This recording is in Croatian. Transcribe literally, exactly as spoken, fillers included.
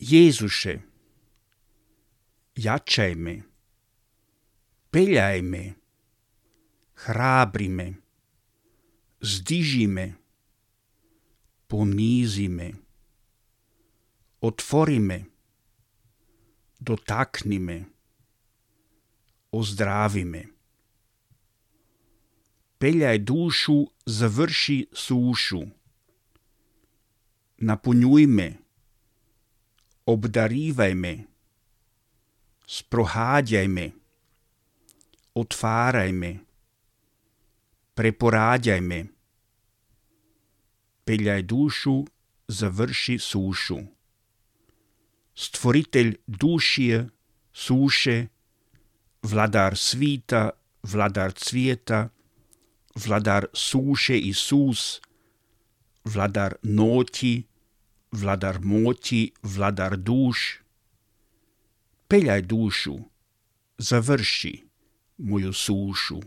Jezuše, jačaj me, peljaj me, hrabri me, zdiži me, ponizi me, otvori me, dotakni me, ozdravi me. Peljaj dušu, završi sušu. Napunjuj me, obdarivaj me, sprohadjaj me, otvaraj me, preporadjaj me. Peljaj dušu, završi sušu. Stvoritelj dušije, suše, vladar svita, vladar cvijeta, vladar suše Isus, vladar noći, vladar moći, vladar duš. Peljaj dušu, završi moju sušu.